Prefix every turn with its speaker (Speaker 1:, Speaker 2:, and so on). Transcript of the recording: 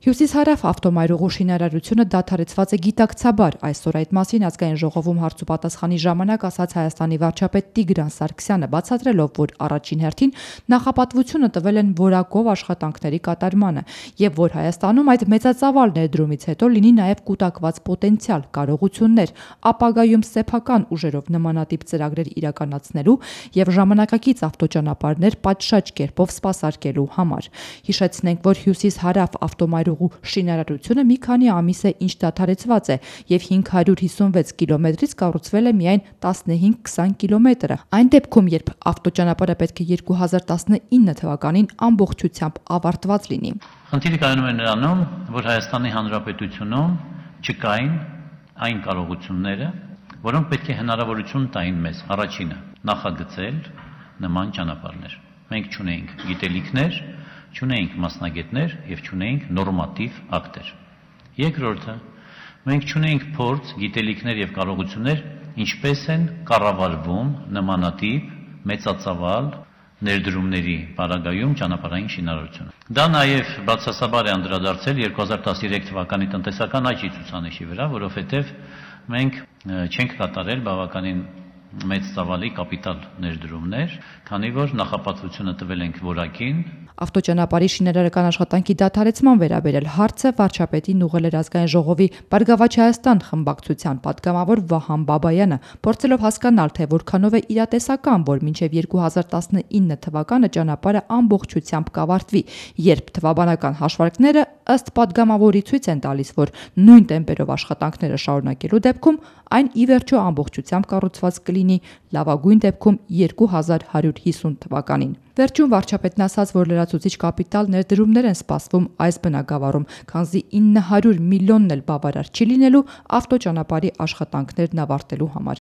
Speaker 1: Հյուսիս-հարավ ավտոմայրուղու շինարարությունը դադարեցված է գիտակցաբար, այսօր այդ մասին ազգային ժողովում հարց ու պատասխանի ժամանակ ասաց Հայաստանի վարչապետ Տիգրան Սարգսյանը, բացատրելով, որ առաջին հերթին նախապատվությունը տվել են որակով աշխատանքների կատարմանը եւ որ Հայաստանում այդ մեծածավալ ներդրումից հետո լինի նաեւ կուտակված պոտենցիալ, կարողություններ, ապագայում սեփական ուժերով նմանատիպ ծրագրեր իրականացնելու եւ ժամանակակից ավտոճանապարհներ պատշաճ կերպով սպասարկելու համար։ Հիշեցնենք, որ հյուսիս-հարավ ավտոմայրուղու շինարարությունը մի քանի ամիս է ինչ դադարեցված է եւ 556 կիլոմետրից կառուցվել է միայն 15-20 կիլոմետրը։ Այն դեպքում, երբ ավտոճանապարհը պետք է 2019 թվականին ամբողջությամբ ավարտված լինի։
Speaker 2: Խնդիրը կայանում է նրանում, որ Հայաստանի Հանրապետությունում չկային այն կարողությունները, որոնք պետք է հնարավորություն տային մեզ առաջինը նախագծել նման ճանապարհներ։ Մենք չունեինք գիտելիքներ, չունեինք մասնագետներ եւ չունեինք նորմատիվ ակտեր։ Երկրորդը, մենք չունեինք փորձ, գիտելիքներ եւ կարողություններ, ինչպես են կառավարվում նմանատիպ մեծածավալ ներդրումների պարագայում ճանապարհային շինարարությունը։ Դա նաեւ բացասաբար է անդրադարձել 2013 թվականի տնտեսական աճի ցուցանիշի վրա, որովհետեւ մենք չենք կատարել բավականին մեծ ծավալի կապիտալ ներդրումներ, քանի որ նախապատվությունը տվել ենք որակին։
Speaker 1: Ավտոճանապարհի շինարարական աշխատանքի դադարեցման վերաբերել հարցը վարչապետին ուղղել էր ազգային ժողովի Բարգավաճ Հայաստան խմբակցության պատգամավոր Վահան Բաբայանը, փորձելով հասկանալ, թե որքանով է իրատեսական, որ մինչև 2019 թվականը ճանապարհը ամբողջությամբ կավարտվի, երբ թվաբանական հաշվարկները ըստ պատգամավորի ցույց են տալիս, որ նույն տեմպերով աշխատանքները շարունակելու դեպքում այն ի վերջո ամբողջությամբ կառուցված կլինի լավագույն դեպքում 2150 թվականին։ Վերջում վարչապետն ասաց, որ լրացուցիչ կապիտալ ներդրումներ են սպասվում այս բնագավառում, քանզի 900 միլիոնն էլ բավարար չի լինելու ավտոճանապարհի աշխատանքներն ավարտելու համար։